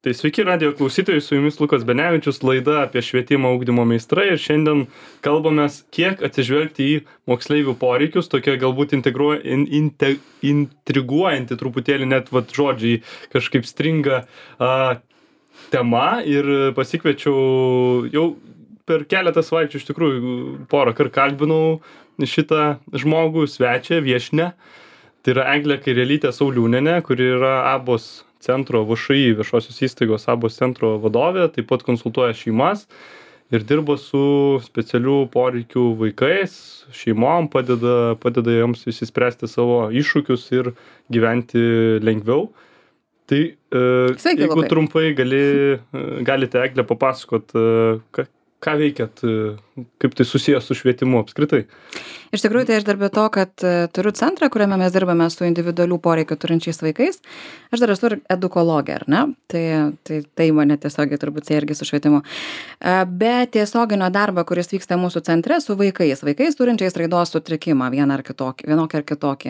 Tai sveiki radijo klausytojai, su jumis Lukas Benevičius, laida apie švietimo ugdymo meistrai ir šiandien kalbamės, kiek atsižvelgti į moksleivių poreikius, tokia galbūt intriguojanti truputėlį net žodžiai kažkaip stringa tema ir pasikviečiau jau per keletą savaičių iš tikrųjų porą kartų kalbinau šitą žmogų, svečią, viešnią. Tai yra Eglė Kairelytė Sauliūnienė, kuri yra ABOS centro VŠI viešosios įstaigos ABOS centro vadovė, taip pat konsultuoja šeimas ir dirba su specialių poreikių vaikais, šeimom, padeda joms išsispręsti savo iššūkius ir gyventi lengviau. Tai jeigu trumpai galite Eglė papasakot, ką veikiat, kaip tai susijęs su švietimu apskritai? Iš tikrųjų, tai aš dar be to, kad turiu centrą, kuriame mes dirbame su individualių poreikių turinčiais vaikais. Aš dar esu edukologė, ar ne? Tai mane tiesiogiai turbūt irgi su švietimu. Be tiesioginio darbo, kuris vyksta mūsų centre su vaikais turinčiais raidos sutrikimą, vienokį ar kitokį,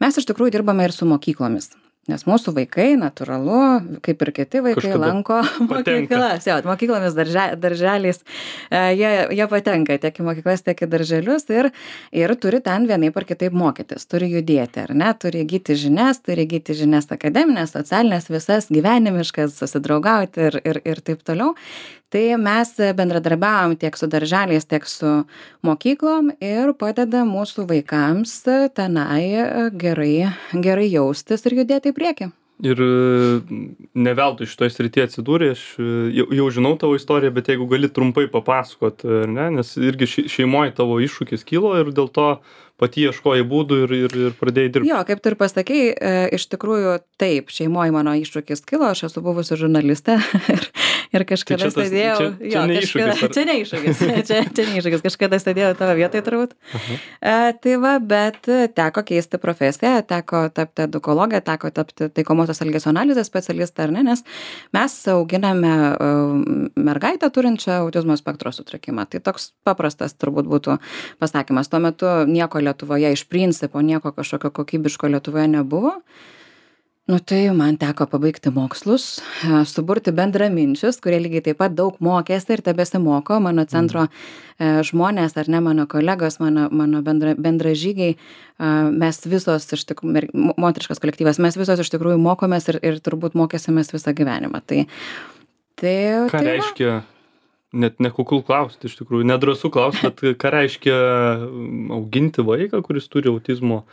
mes iš tikrųjų dirbame ir su mokyklomis. Nes mūsų vaikai, natūralu, kaip ir kiti vaikai, lanko mokyklas, mokyklomis, darželiais, jie patenka tiek į mokyklas, tiek į darželius ir turi ten vienaip ar kitaip mokytis, turi judėti, ar ne, turi įgyti žinias akademinės, socialinės, visas gyvenimiškas, susidraugauti ir taip toliau. Tai mes bendradarbiavom tiek su darželiais, tiek su mokyklom ir padeda mūsų vaikams tenai gerai jaustis ir judėti į priekį. Ir ne veltui šitoje srityje atsidūrė, aš jau žinau tavo istoriją, bet jeigu gali trumpai papasakot, ne? Nes irgi šeimoje tavo iššūkis kilo ir dėl to pati ieškojai būdų ir pradėjai dirbti. Jo, kaip tu ir pasakei, iš tikrųjų taip, šeimoje mano iššūkis kilo, aš esu buvusi žurnalistė ir kažkada sėdėjau. Čia ne iššūkis, kažkada sėdėjau tavo vietoje turbūt. Tai va, bet teko keisti profesiją, teko tapti edukologę, teko tapti taikomosios elgesio analizės specialistą, ar ne, nes mes auginame mergaitę turinčią autizmo spektro sutrikimą. Tai toks paprastas turbūt būtų pasakymas. Tuo metu nieko Lietuvoje iš principo, nieko kažkokio kokybiško Lietuvoje nebuvo. Nu tai man teko pabaigti mokslus, suburti bendraminčius, kurie lygiai taip pat daug mokėsi ir tebesimoko, mano centro žmonės, ar ne, mano kolegos, mano bendražygiai, mes visos, moteriškas kolektyvas, mes visos iš tikrųjų mokomės ir turbūt mokėsimės visą gyvenimą. Ką reiškia? Net nekukul klausti, iš tikrųjų, nedrąsu klausti, bet ką reiškia auginti vaiką, kuris turi autizmo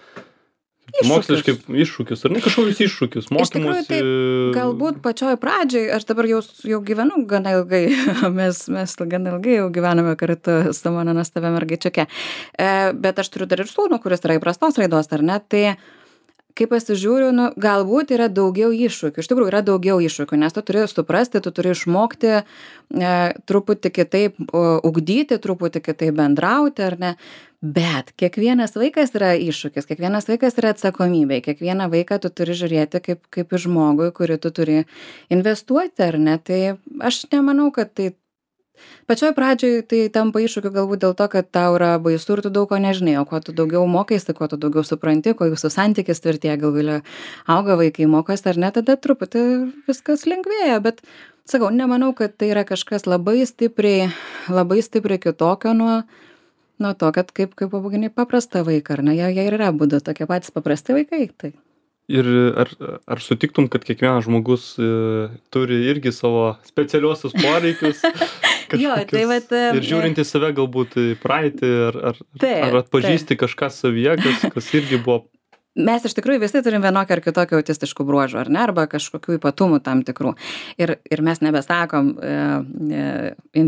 moksliškai iššūkius, ar ne kažkokius iššūkius, mokymus? Iš tikrųjų, taip, galbūt pačioj pradžioj, aš dabar jau gyvenu gana ilgai, mes gana ilgai jau gyvename kartu su mano nuostabia mergaičiuke, bet aš turiu dar ir sūnų, kuris yra įprastos raidos, ar ne, tai kai pasižiūriu, galbūt yra daugiau iššūkių. Iš tikrųjų, yra daugiau iššūkių, nes tu turi suprasti, tu turi išmokti truputį kitaip ugdyti, truputį kitaip bendrauti, ar ne? Bet kiekvienas vaikas yra iššūkis, kiekvienas vaikas yra atsakomybė, kiekvieną vaiką tu turi žiūrėti kaip į žmogų, kurį tu turi investuoti, ar ne? Tai aš nemanau, kad tai pačioj pradžioj tai tampa iššūkiu galbūt dėl to, kad tau yra baisu ir tu daug ko nežinai, o kuo tu daugiau mokaisi, kuo tu daugiau supranti, kuo jūsų santykis tvirtėja, gal galia auga vaikai mokosi ar ne, tada truputį viskas lengvėja, bet sakau, nemanau, kad tai yra kažkas labai stipriai kitokio nuo to, kad kaip augini paprastą vaiką, ar ne, jie ir yra būdu tokie patys paprasti vaikai, tai. Ir ar sutiktum, kad kiekvienas žmogus turi irgi savo specialiosius poreikius? Jo, tai vat, ir žiūrint į save galbūt į praeitį, ar atpažįsti kažką savyje, kas irgi buvo. Mes iš tikrųjų visi turim vienokį ar kitokį autistiškų bruožų, ar ne, arba kažkokių ypatumų tam tikrų. Ir mes nebesakom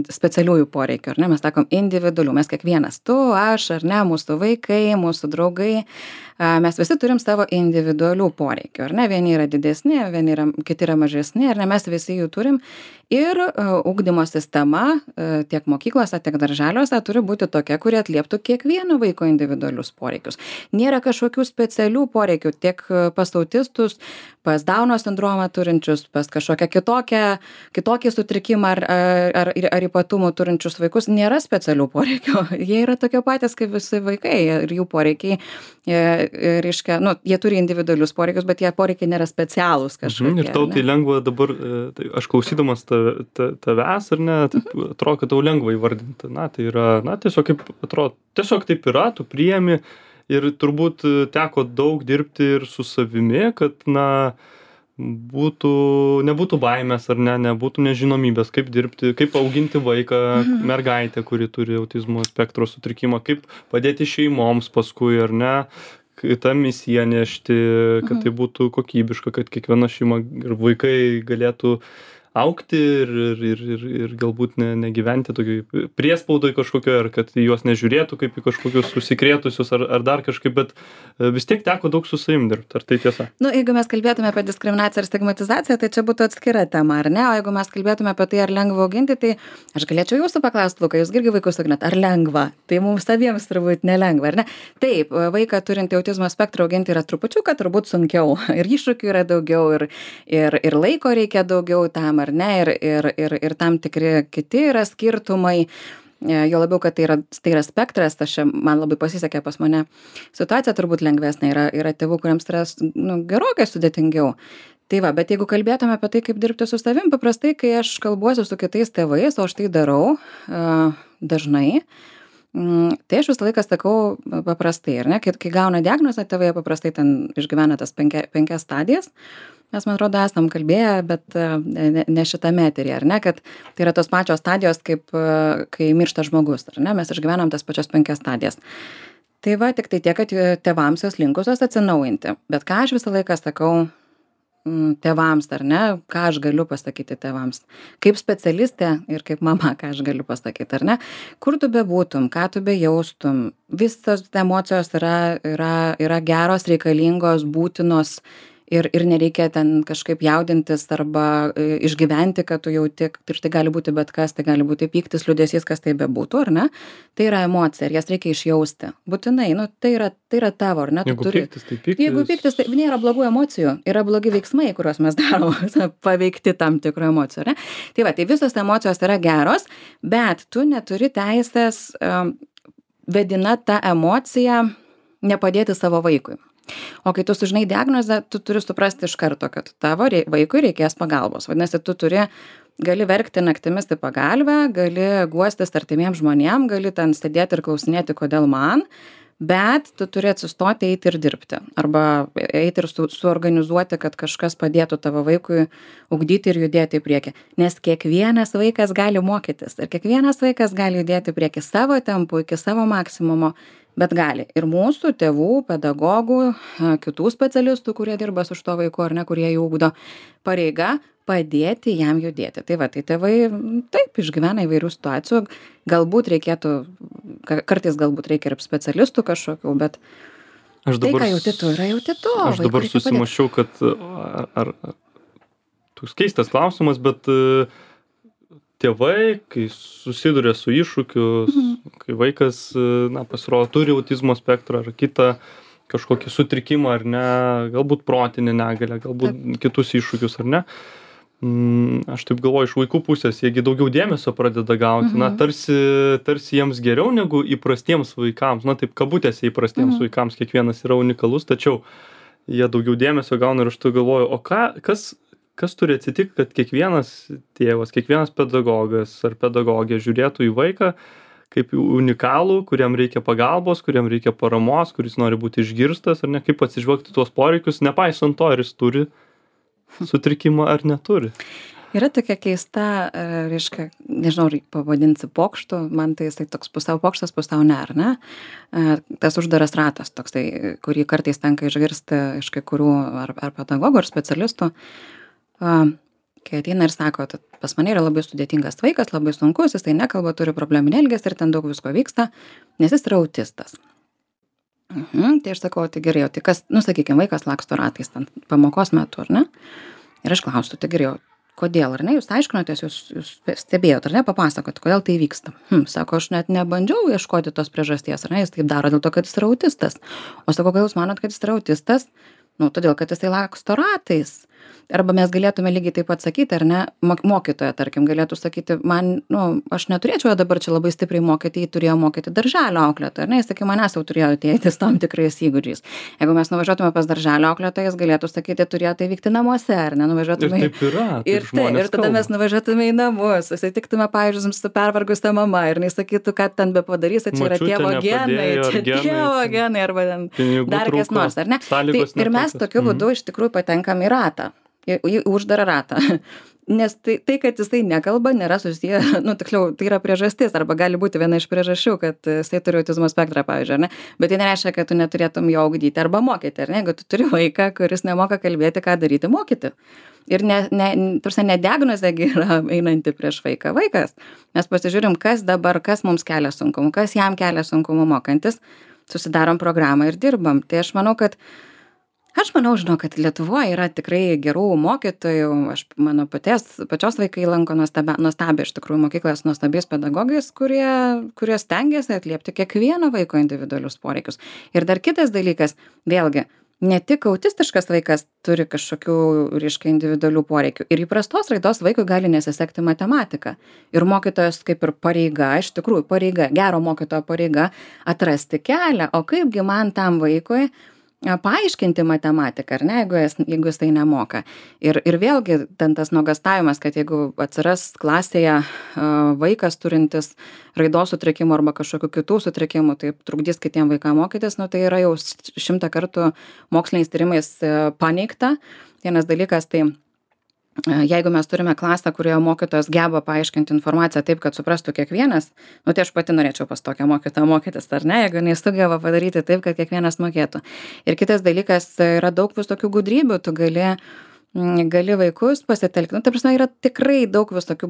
specialiųjų poreikių, ar ne, mes sakom individualių, mes kiekvienas, tu, aš, ar ne, mūsų vaikai, mūsų draugai, mes visi turim savo individualių poreikių, ar ne, vieni yra didesni, kiti yra mažesni, ar ne, mes visi jų turim Ir ugdymo sistema tiek mokyklose, tiek darželiuose turi būti tokia, kuri atlieptų kiekvieno vaiko individualius poreikius. Nėra kažkokių specialių poreikių tiek pas autistus, pas Dauno sindromą turinčius, pas kažkokią kitokį sutrikimą ar ypatumų turinčius vaikus. Nėra specialių poreikių. Jie yra tokie patys kaip visi vaikai ir jų poreikiai, reiškia, jie turi individualius poreikius, bet jie poreikiai nėra specialūs kažkokie. Ir tau tai lengva dabar, tai aš klausydamas tavęs, ar ne, atrodo, kad tau lengva įvardinti. Tai yra, tiesiog kaip atrodo, tiesiog taip yra, tu priemi ir turbūt teko daug dirbti ir su savimi, kad, nebūtų baimės, ar ne, nebūtų nežinomybės, kaip dirbti, kaip auginti vaiką, mergaitę, kuri turi autizmo spektro sutrikimą, kaip padėti šeimoms paskui, ar ne, tą misiją nešti, kad tai būtų kokybiška, kad kiekviena šeima ir vaikai galėtų augti ir galbūt negyventi tokioj priespaudoj kažkokio, ar kad juos nežiūrėtų kaip į kažkokius susikrėtusius ar dar kažkaip, bet vis tiek teko daug su savim dirbti. Ar tai tiesa? Jeigu mes kalbėtume apie diskriminaciją ir stigmatizaciją, tai čia būtų atskira tema, ar ne? O jeigu mes kalbėtume apie tai, ar lengva auginti, tai aš galėčiau jūsų paklausti, Luka, jūs irgi vaikus auginat, ar lengva? Tai mums abiems turbūt nelengva, ar ne? Taip, vaiką turintį autizmo spektrą auginti yra trupučiuką turbūt sunkiau. Ir iššūkių yra daugiau, ir laiko reikia daugiau tam, ar ne, ir tam tikri kiti yra skirtumai, jo labiau, kad tai yra spektras, man labai pasisekė pas mane. Situacija turbūt lengvesnė, yra tėvų, kuriems yra gerokai sudėtingiau. Tai va, bet jeigu kalbėtume apie tai, kaip dirbti su savim, paprastai, kai aš kalbuosiu su kitais tėvais, o aš tai darau dažnai, tai aš visą laiką sakau paprastai, ar ne, kai gauna diagnozę, tėvai paprastai ten išgyvena tas 5 stadijas. Mes, man atrodo, esam kalbėję, bet ne šitame eteryje, ar ne, kad tai yra tos pačios stadijos, kaip kai miršta žmogus, ar ne, mes išgyvenam tas pačias 5 stadijas. Tai va, tik tai tiek, kad tėvams jos linkusios atsinaujinti. Bet ką aš visą laiką sakau tėvams, ar ne, ką aš galiu pasakyti tėvams, kaip specialistė ir kaip mama, ką aš galiu pasakyti, ar ne, kur tu bebūtum, ką tu bejaustum, visos emocijos yra geros, reikalingos, būtinos. Ir nereikia ten kažkaip jaudintis arba išgyventi, kad tu jauti, ir tai gali būti bet kas, tai gali būti pyktis, liūdesys, kas tai bebūtų, ar ne? Tai yra emocija ir jas reikia išjausti. Būtinai, tai yra tavo, ar ne? Jeigu pyktis, tai pyktis. Jeigu pyktis, tai nėra blogų emocijų, yra blogi veiksmai, kuriuos mes darom, paveikti tam tikrų emocijų, ar ne? Tai va, tai visos emocijos yra geros, bet tu neturi teisės vedina tą emociją nepadėti savo vaikui. O kai tu sužinai diagnozę, tu turi suprasti iš karto, kad tavo vaikui reikės pagalbos. Vadinasi, tu gali verkti naktimis į pagalbę, gali guostis artimiems žmonėm, gali ten sėdėti ir klausinėti, kodėl man, bet tu turi atsistoti, eiti ir dirbti. Arba eiti ir suorganizuoti, kad kažkas padėtų tavo vaikui ugdyti ir judėti į priekį. Nes kiekvienas vaikas gali mokytis ir kiekvienas vaikas gali judėti į priekį savo tempu, iki savo maksimumo. Bet gali. Ir mūsų tėvų, pedagogų, kitų specialistų, kurie dirba su šito vaiku ar ne, kurie jį ugdo, pareiga padėti jam judėti. Tai va, tai tėvai taip išgyvena įvairių situacijų. Kartais galbūt reikia ir specialistų kažkokių, bet tai, ką jauti tu, yra jauti tu. Aš dabar susimaščiau, kad ar toks keistas klausimas, bet tėvai, kai susiduria su iššūkiu, kai vaikas, pasirodo, turi autizmo spektrą ar kitą kažkokį sutrikimą ar ne, galbūt protinę negalią, galbūt kitus iššūkius ar ne. Aš taip galvoju, iš vaikų pusės, jiegi daugiau dėmesio pradeda gauti, tarsi jiems geriau negu įprastiems vaikams, taip kabutėse įprastiems vaikams, kiekvienas yra unikalus, tačiau jie daugiau dėmesio gauna ir aš tai galvoju, o kas turi atsitikti, kad kiekvienas tėvas, kiekvienas pedagogas ar pedagogė žiūrėtų į vaiką kaip unikalų, kuriam reikia pagalbos, kuriam reikia paramos, kuris nori būti išgirstas, ar ne, kaip atsižvelgti tuos poreikius, nepaisant to, ar jis turi sutrikimą ar neturi. Yra tokia keista, reiškia, nežinau, pavadinsi pokštų, man tai jisai toks pusiau pokštas, pusiau ne, ar ne? Tas uždaras ratas toksai, kurį kartais tenka išgirsti iš kai kurių ar pedagogų, ar specialistų. Kai ateina ir sako, kad pas mane yra labai sudėtingas vaikas, labai sunkus, jis tai nekalba, turi probleminį elgesį ir ten daug visko vyksta, nes jis yra autistas. Tai aš sakau, tai gerai, tai kas, sakykime, vaikas laksto ratais ten pamokos metu, ar ne? Ir aš klausiu, tai gerai, kodėl, ar ne, jūs aiškinotės, jūs stebėjot, ar ne, papasakot, kodėl tai vyksta. Sako, aš net nebandžiau ieškoti tos priežasties, ar ne, jis taip daro dėl to, kad jis yra autistas. O sako, gal jūs manot, kad jis yra autistas? Nu, todėl, kad jisai laksto ratais. Arba mes galėtume lygiai taip pat sakyti, ar ne, mokytoja, tarkim, galėtų sakyti, man, aš neturėčiau dabar čia labai stipriai mokyti, jį turėjo mokyti darželio auklėtoja, ar ne, jis sakė, manęs jau turėjo ateitis tam tikrais įgūdžiais. Jeigu mes nuvažiuotume pas darželio auklėtoją, jis galėtų sakyti, turėjo tai vykti namuose, ar ne, nuvažiuotume. Ir taip yra. Ir tada mes nuvažiuotume į namus, susitiktume, pavyzdžiui, su pervargusia mama ir jis sakytų, kad ten be padarysi, čia yra tėvo genai, čia tėvo genai, arba ten dar kas nors, ar ne. Ir mes tokiu būdu iš tikrųjų patenkam į ratą. Į uždarą ratą. Nes tai, kad jisai nekalba, nėra susiję, tiksliau, tai yra priežastis, arba gali būti viena iš priežasčių, kad jisai turi autizmo spektrą, pavyzdžiui, ar ne? Bet tai nereiškia, kad tu neturėtum jo ugdyti arba mokyti, ar ne? Jeigu tu turi vaiką, kuris nemoka kalbėti, ką daryti, mokyti. Ir ne diagnozė yra einanti prieš vaiką. Vaikas. Mes pasižiūrim, kas mums kelia sunkumų, kas jam kelia sunkumų mokantis, susidarom programą ir dirbam. Tai aš manau, kad Lietuvoje yra tikrai gerų mokytojų, mano pačios vaikai lanko nuostabią iš tikrųjų mokyklas nuostabiais pedagogais, kurie stengiasi atliepti kiekvieno vaiko individualius poreikius. Ir dar kitas dalykas, vėlgi, ne tik autistiškas vaikas turi kažkokių, individualių poreikių. Ir įprastos raidos vaikui gali nesisekti matematika. Ir mokytojas kaip ir pareiga, iš tikrųjų pareiga, gero mokytojo pareiga atrasti kelią, o kaipgi man tam vaikui paaiškinti matematiką, ar ne, jeigu jis tai nemoka. Ir vėlgi ten tas nuogąstavimas, kad jeigu atsiras klasėje vaikas turintis raidos sutrikimų arba kažkokių kitų sutrikimų, tai trukdys kitiem vaikam mokytis, tai yra jau 100 kartų moksliniais tyrimais paneigta. Vienas dalykas, tai jeigu mes turime klasę, kurioje mokytojas geba paaiškinti informaciją taip, kad suprastų kiekvienas, tai aš pati norėčiau pas tokią mokytoją mokytis, ar ne, jeigu nesugeba padaryti taip, kad kiekvienas mokėtų. Ir kitas dalykas, yra daug visokių gudrybių, tu gali vaikus pasitelkti. Ta prasme, yra tikrai daug visokių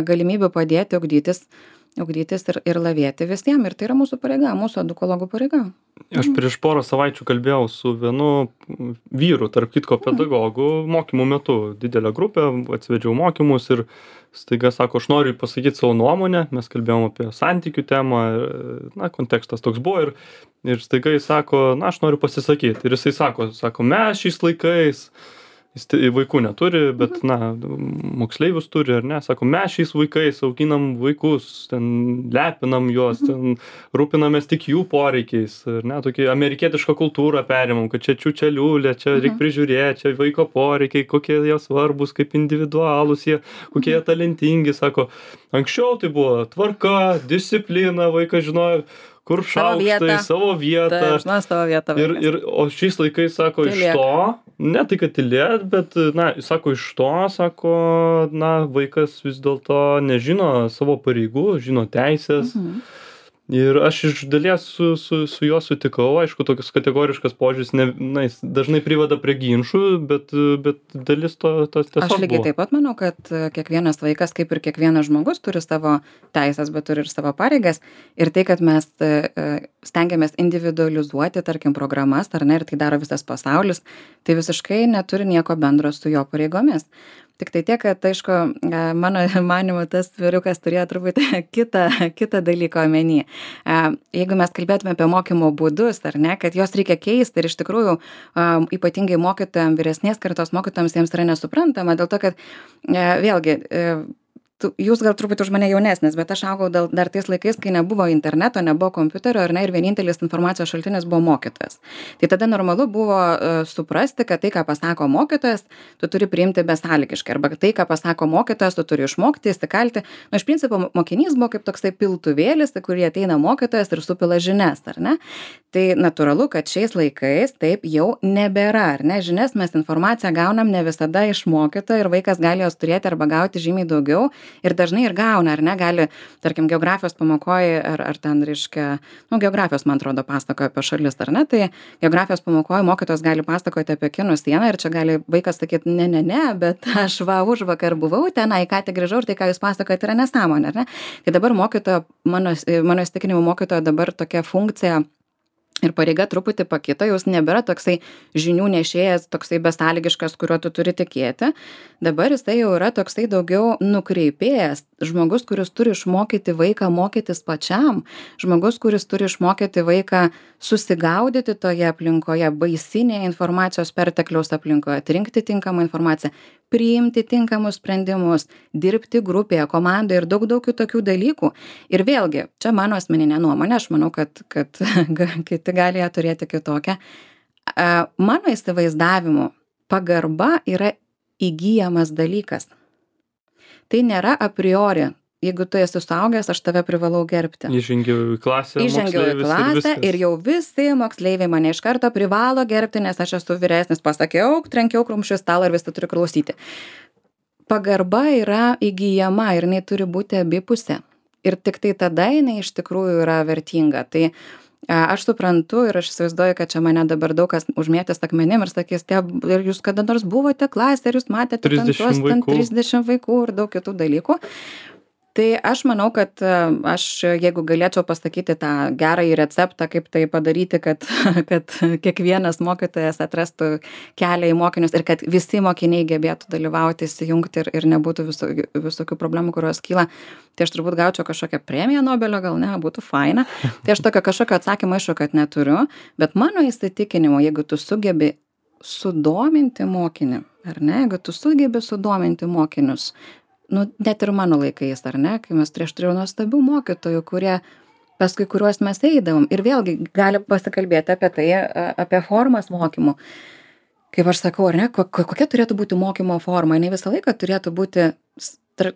galimybių padėti ugdytis ir lavėti visiems. Ir tai yra mūsų pareiga, mūsų edukologų pareiga. Aš prieš porą savaičių kalbėjau su vienu vyru, tarp kitko pedagogų, mokymų metu. Didelę grupę, atsivedžiau mokymus ir staiga sako, aš noriu pasakyti savo nuomonę. Mes kalbėjom apie santykių temą, kontekstas toks buvo ir staiga jis sako, aš noriu pasisakyti. Ir jisai sako, mes šiais laikais, jis vaikų neturi, bet, moksleivius turi, ar ne, sako, mes šiais vaikais auginam vaikus, ten lepinam juos, ten rūpinamės tik jų poreikiais, ar ne, tokį amerikietišką kultūrą perimam, kad čia čiučeliulė, čia reikia prižiūrėti, čia vaiko poreikiai, kokie jie svarbus, kaip individualūs jie, kokie jie talentingi, sako, anksčiau tai buvo tvarka, disciplina, vaikas žinojo, kur šaukštai, savo vietą. Savo vietą. O šiais laikais, sako, iš to, ne tai, kad tylėt, bet, sako, iš to, sako, vaikas vis dėlto nežino savo pareigų, žino teisės. Ir aš iš dalies su juo sutikau, aišku, tokius kategoriškas požiūris jis dažnai priveda prie ginčų, bet dalis to tiesiog Aš lygiai taip pat manau, kad kiekvienas vaikas, kaip ir kiekvienas žmogus, turi savo teisės, bet turi ir savo pareigas. Ir tai, kad mes stengiamės individualizuoti, tarkim, programas, ar ne, ir tai daro visas pasaulis, tai visiškai neturi nieko bendro su jo pareigomis. Tik tai tiek, kad, aišku, mano manimu, tas vyrukas turėjo truputį kitą dalyką omeny. Jeigu mes kalbėtume apie mokymo būdus, ar ne, kad jos reikia keisti ir iš tikrųjų ypatingai mokytojams, vyresnės kartos mokytojams jiems yra nesuprantama, dėl to, kad vėlgi jūs gal truputį už mane jaunesnis, bet aš augau dar tais laikais, kai nebuvo interneto, nebuvo kompiuterio, ar ne, ir vienintelis informacijos šaltinis buvo mokytojas. Tai tada normalu buvo suprasti, kad tai, ką pasako mokytojas, tu turi priimti besąlygiškai, arba tai, ką pasako mokytojas, tu turi išmokti, įsikalti. Iš principo, mokinys buvo kaip toksai piltuvėlis, kurį ateina mokytojas ir supila žinias, ar ne? Tai natūralu, kad šiais laikais taip jau nebėra, ar ne? Žinias mes informaciją gaunam ne visada iš mokytojo ir vaikas gali jos turėti arba gauti žymiai daugiau. Ir dažnai ir gauna, ar ne, gali, tarkim, geografijos pamokoje, ar ten, reiškia, geografijos, man atrodo, pasakoja apie šalis, ar ne, tai geografijos pamokoje mokytojas gali pasakoti apie Kinų sieną ir čia gali vaikas sakyti, ne, bet aš užvakar buvau tenai, ką tik grįžau ir tai, ką jūs pasakojate, yra nesąmonė, ar ne? Tai dabar mokytojo, mano įsitikinimu mokytojo dabar tokia funkcija Ir pareiga truputį pakito, jūs nebėra toksai žinių nešėjas, toksai besąlygiškas, kuriuo tu turi tikėti. Dabar jisai jau yra toksai daugiau nukreipėjas, žmogus, kuris turi išmokyti vaiką mokytis pačiam, žmogus, kuris turi išmokyti vaiką susigaudyti toje aplinkoje, baisinėje informacijos pertekliaus aplinkoje, atrinkti tinkamą informaciją, priimti tinkamus sprendimus, dirbti grupėje, komandoje ir daug kitokių dalykų. Ir vėlgi, čia mano asmeninė nuomonė, aš manau, kad kiti gali ją turėti kitokią. Mano įsivaizdavimu, pagarba yra įgyjamas dalykas. Tai nėra a priori. Jeigu tu esi suaugęs, aš tave privalau gerbti. Įžengiau į klasę ir jau visi moksleiviai mane iš karto privalo gerbti, nes aš esu vyresnis, pasakiau, trenkiau krumščių stalą ir visi turi klausyti. Pagarba yra įgyjama ir jinai turi būti abipusė. Ir tik tai tada jinai iš tikrųjų yra vertinga. Tai aš suprantu ir aš įsivaizduoju, kad čia mane dabar daug kas užmėtęs akmenim ir sakys, ir jūs kada nors buvote klasė, ar jūs matėte 30 vaikų ir daug kitų dalykų. Tai aš manau, kad aš, jeigu galėčiau pasakyti tą gerąjį receptą, kaip tai padaryti, kad kiekvienas mokytojas atrastų kelią į mokinius ir kad visi mokiniai gebėtų dalyvauti, įsijungti ir nebūtų visokių problemų, kurios kyla, tai aš turbūt gaučiau kažkokią premiją Nobelio, gal ne, būtų faina. Tai aš kažkokio atsakymą aišku, kad neturiu, bet mano įsitikinimu, jeigu tu sugebi sudominti mokinį, ar ne, jeigu tu sugebi sudominti mokinius, net ir mano laikais, ar ne, kai mes turėjau nuostabių mokytojų, paskui kuriuos mes eidavom. Ir vėlgi gali pasikalbėti apie tai, apie formas mokymų. Kaip aš sakau, ar ne, kokia turėtų būti mokymo forma? Jinai visą laiką turėtų būti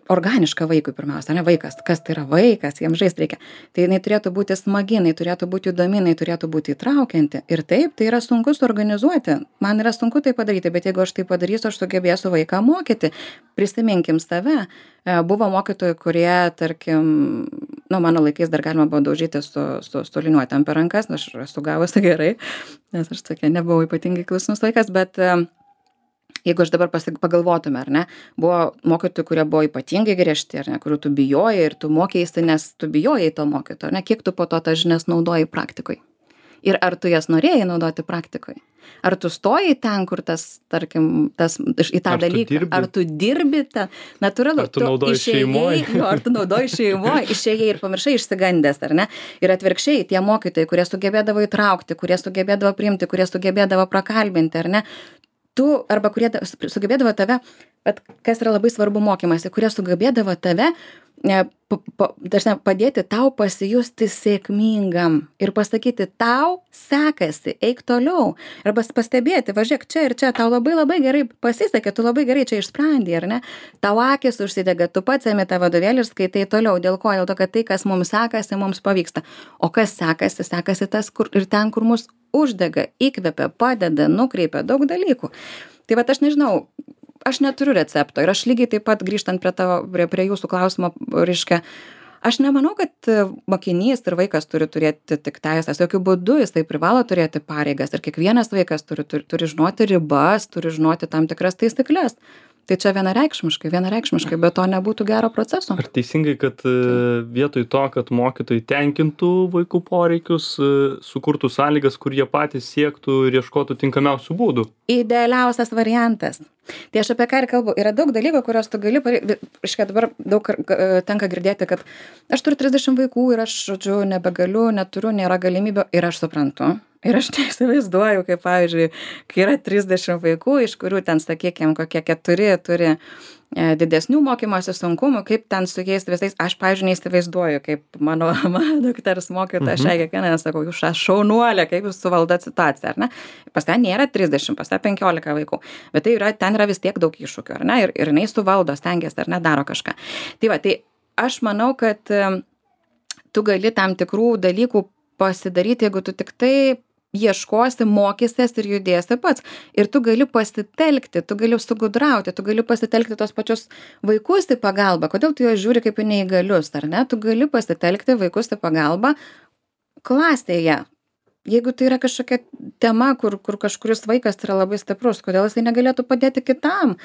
organiška vaikui pirmiausia, ne vaikas. Kas tai yra vaikas, jiems žaisti reikia. Tai jinai turėtų būti smagi, jinai turėtų būti įdomi, jinai turėtų būti įtraukianti. Ir taip, tai yra sunku suorganizuoti. Man yra sunku tai padaryti, bet jeigu aš tai padarysiu, aš sugebėsiu vaiką mokyti. Prisiminkim save. Buvo mokytojų, kurie, tarkim, mano laikais dar galima buvo daužyti su liniuotėm per rankas, aš esu gavusi gerai, nes aš tokia nebuvau ypatingai klusnus vaikas, bet jeigu aš dabar pagalvotume, ar ne, buvo mokytojų, kurie buvo ypatingai griežti, ar ne, kurių tu bijojai ir tu mokėjaisi, nes tu bijojai to mokytojo, ar ne, kiek tu po to tas žinias naudojai praktikoje. Ir ar tu jas norėjai naudoti praktikoje? Ar tu stoji ten, kur tarkim, į tą dalyką? Ar tu dirbi ten? Natūralu, ar tu naudoji šeimoje? Ar tu naudoji šeimoje, išėjai ir pamiršai išsigandęs, ar ne? Ir atvirkščiai, tie mokytojai, kurie sugebėdavo įtraukti, kurie sugebėdavo priimti, kurie sugebėdavo prakalbinti, ar ne? Tu, arba kurie sugebėdavo tave, bet kas yra labai svarbu mokymasi, kurie sugebėdavo tave dažnai padėti tau pasijusti sėkmingam ir pasakyti, tau sekasi, eik toliau. Arba pastebėti, važiuok čia ir čia, tau labai gerai pasisekė, tu labai gerai čia išsprendė, ar ne? Tau akis užsidega, tu pats ėmė tą vadovėlį ir skaitai toliau. Dėl ko? Dėl to, kad tai, kas mums sekasi, mums pavyksta. O kas sekasi tas, kur ir ten, kur mus uždega, įkvepia, padeda, nukreipia daug dalykų. Tai vat aš nežinau, aš neturiu recepto ir aš lygiai taip pat grįžtant prie jūsų klausimo, reiškia, aš nemanau, kad mokinys ir vaikas turi turėti tik teisės, jokių būdų jis tai privalo turėti pareigas ir kiekvienas vaikas turi žinoti ribas, turi žinoti tam tikras taisyklės. Tai čia vienareikšmiškai, bet to nebūtų gero proceso. Ar teisingai, kad vietoj to, kad mokytojai tenkintų vaikų poreikius, sukurtų sąlygas, kur jie patys siektų ir ieškotų tinkamiausių būdų? Idealiausias variantas. Tai aš apie ką ir kalbu. Yra daug dalykų, kurios tu gali iškai dabar daug tenka girdėti, kad aš turiu 30 vaikų ir aš, žodžiu, nebegaliu, neturiu, nėra galimybių ir aš suprantu. Ir aš neįsivaizduoju, kaip, pavyzdžiui, kai yra 30 vaikų, iš kurių ten, sakykime, kokie 4 turi didesnių mokymosi sunkumų, kaip ten su jais visais, aš, pavyzdžiui, neįsivaizduoju, kaip mano dukters mokytoja, aš kiekvieną sakau, jūs šaunuolė, kaip jūs suvaldat situaciją, ar ne? Pas ten nėra 30, pas ten 15 vaikų, bet tai ten yra vis tiek daug iššūkių, ar ne? Ir jinai suvaldo, stengiasi, ar ne, daro kažką. Tai va, tai aš manau, kad tu gali tam tikrų dalykų pasidaryti, jeigu tu tik tai ieškosi, mokysies ir judėsi pats. Ir tu gali pasitelkti, tu gali sugudrauti, tu gali pasitelkti tos pačius vaikus į pagalbą. Kodėl tu juos žiūri kaip į neįgalius, ar ne? Tu gali pasitelkti vaikus į pagalbą klasėje. Jeigu tai yra kažkokia tema, kur kažkuris vaikas yra labai stiprus, kodėl jisai negalėtų padėti kitam?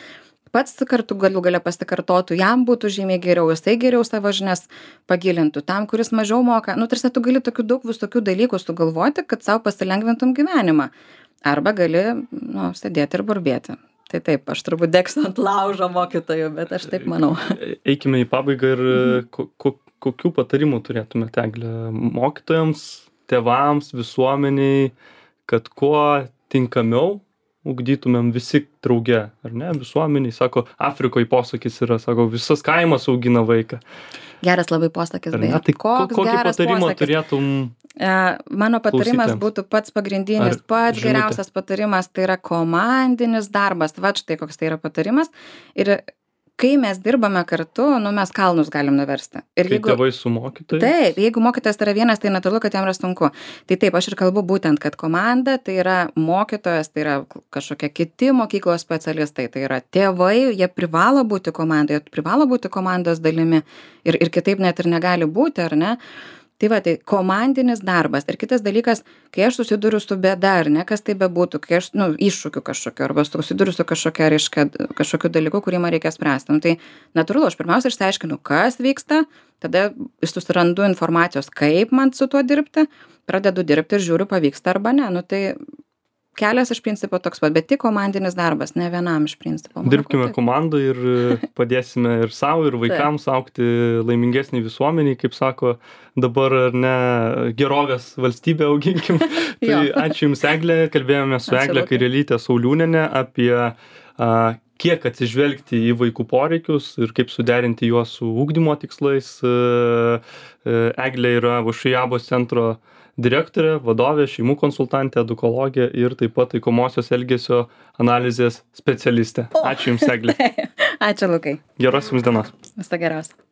pats kartu galų gale pasikartotų, jam būtų žymiai geriau, jisai geriau savo žinias pagilintų, tam, kuris mažiau moka. Nu, tarsi tu gali tokių daug visokių dalykų sugalvoti, kad savo pasilengvintum gyvenimą. Arba gali, nu, sėdėti ir burbėti. Tai taip, aš turbūt degsiu ant laužo mokytojų, bet aš taip manau. Eikime į pabaigą ir kokių patarimų turėtumėte, Egle, mokytojams, tėvams, visuomeniai, kad kuo tinkamiau ugdytumėm visi drauge, ar ne, visuomeniai, sako, Afrikoje posakis yra, sako, visas kaimas augina vaiką. Geras labai posakis, beje. Tai kokį patarimą turėtum Mano patarimas būtų pats pagrindinis, pats žinutė? geriausias patarimas, tai yra komandinis darbas. Va štai koks tai yra patarimas. Ir kai mes dirbame kartu, nu, mes kalnus galim nuversti. Ir Kai tėvai su mokytojais? Taip, jeigu mokytojas yra vienas, tai natūralu, kad jam yra sunku. Tai taip, aš ir kalbu būtent, kad komanda tai yra mokytojas, tai yra kažkokie kiti mokyklos specialistai, tai yra tėvai, jie privalo būti komandoje, privalo būti komandos dalimi ir kitaip net ir negali būti, ar ne? Tai va, tai komandinis darbas. Ir kitas dalykas, kai aš susiduriu su bėda, ar ne, kas tai bebūtų, kai aš, nu, iššūkiu kažkokiu, arba susiduriu su kažkokia, reiškia, kažkokiu dalyku, kurį man reikia spręsti. Nu, tai natūralu, aš pirmiausia išsiaiškinu, kas vyksta, tada susirandu informacijos, kaip man su tuo dirbti, pradedu dirbti ir žiūriu, pavyksta arba ne. Nu, tai kelias iš principo toks pat, bet tik komandinis darbas, ne vienam iš principo. Dirbkime komandą ir padėsime ir savo, ir vaikams augti laimingesnį visuomenį, kaip sako dabar, ar ne, gerovės valstybę auginkim. Tai ačiū Jums, Egle, kalbėjome su Egle Kairelyte Sauliūniene apie kiek atsižvelgti į vaikų poreikius ir kaip suderinti juos su ugdymo tikslais. Eglė yra VŠI ABOS centro direktorė, vadovė, šeimų konsultantė, edukologė ir taip pat taikomosios elgesio analizės specialistė. Ačiū Jums, Egle. Ačiū, Lukai. Geros Jums dienos. Viso geriausio.